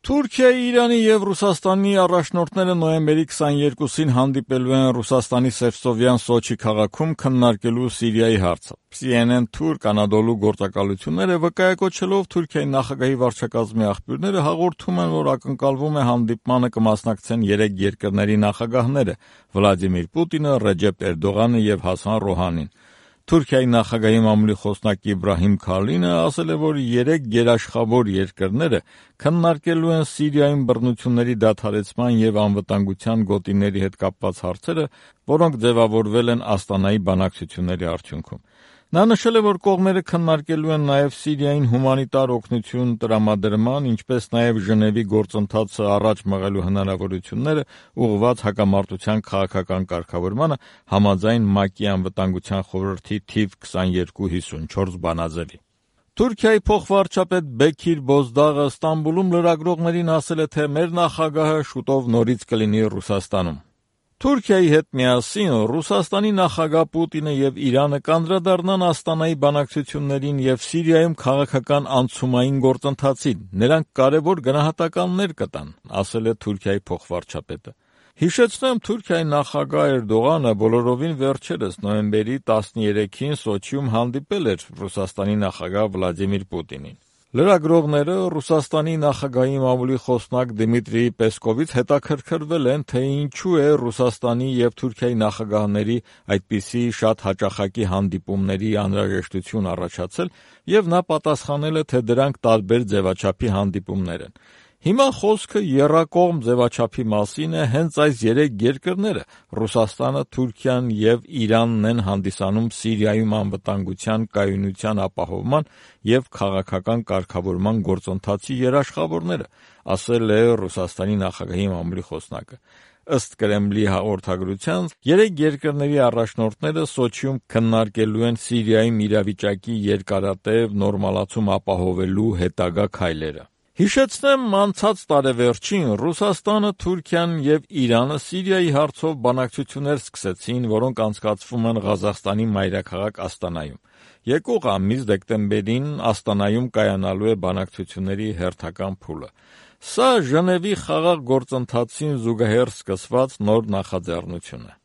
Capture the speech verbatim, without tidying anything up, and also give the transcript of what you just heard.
Թուրքիայի, Իրանի և Ռուսաստանի առաջնորդները նոյեմբերի քսաներկուսին հանդիպելու են Ռուսաստանի Սևծովյան Սոչի քաղաքում քննարկելու Սիրիայի հարցը։ Սի Են Են թուրք Անադոլու գործակալությունները վկայակոչելով Թուրքիայի նախագահի վարչակազմի աղբյուրները հաղորդում են, որ ակնկալվում է հանդիպմանը կմասնակցեն երեք երկրների նախագահները՝ Վլադիմիր Պուտինը, Ռեջեփ Էրդողանը և Հասան Ռոհանին։ Թուրքիայի նախագահի մամուլի խոսնակ Իբրահիմ Քալինը ասել է, որ երեք գերաշխավոր երկրները քննարկելու են Սիրիայում բռնությունների դադարեցման և անվտանգության գոտիների հետ կապված հարցերը, որոնք ձևավորվել են Աստանայի բանակցությունների արդյունքում։ Նա նշել է, որ կողմերը քննարկելու են նաև Սիրիային հումանիտար օգնություն տրամադրման, ինչպես նաև Ժնևի գործընթացը առաջ մղելու հնարավորությունները ուղղված հակամարտության քաղաքական կարգավորմանը համաձայն ՄԱԿ-ի անվտանգության խորհրդի թիվ քսաներկու հիսունչորս բանաձևի։ Թուրքիայի փոխվարչապետ Բեքիր Բոզդաղը Ստամբուլում լրագրողներին ասել է, թե մեր նախագահը շուտով նորից կլինի Ռուսաստանում։ Թուրքիայի հետ միասին Ռուսաստանի նախագահ Պուտինը և Իրանը կանդրադառնան Աստանայի բանակցություններին և Սիրիայում քաղաքական անցումային գործընթացին։ Նրանք կարևոր գնահատականներ կտան, ասել է Թուրքիայի փոխվարչապետը։ Հիշեցնեմ, Թուրքիայի նախագահ Էրդողանը բոլորովին վերջերս նոյեմբերի տասներեքին Սոչիում հանդիպել էր Ռուսաստանի նախագահ Վլադիմիր Պուտինին։ Լրագրողները Ռուսաստանի նախագահի մամուլի խոսնակ Դմիտրի Պեսկովից հետաքրքրվել են, թե ինչու է Ռուսաստանի և Թուրքիայի նախագահների այդպիսի շատ հաճախակի հանդիպումների անհրաժեշտություն առաջացել, և նա պատասխանել է, թե դրանք տարբեր ձևաչափի հանդիպումներ են։ Հիմա խոսքը եռակողմ ձևաչափի մասին է, հենց այս երեք երկրները՝ Ռուսաստանը, Թուրքիան և Իրանն են հանդիսանում Սիրիայում անվտանգության կայունության ապահովման և քաղաքական կարգավորման գործընթացի երաշխավորները, ասել է Ռուսաստանի նախագահի մամուլի խոսնակը։ Ըստ Կրեմլի հաղորդագրության, երեք երկրների առաջնորդները Սոչիում քննարկելու են Սիրիայում իրավիճակի երկարատև նորմալացում ապահովելու հետագա քայլերը։ Հիշեցնեմ, անցած տարեվերջին Ռուսաստանը, Թուրքիան և Իրանը Սիրիայի հարցով բանակցություններ սկսեցին, որոնք անցկացվում են Ղազախստանի մայրաքաղաք Աստանայում։ Եկող ամիս դեկտեմբերին Աստանայում կայանալու է բանակցությունների հերթական փուլը։ Սա Ժնևի խաղաղ գործընթացին զուգահեռ սկսված նոր նախաձեռնություն է։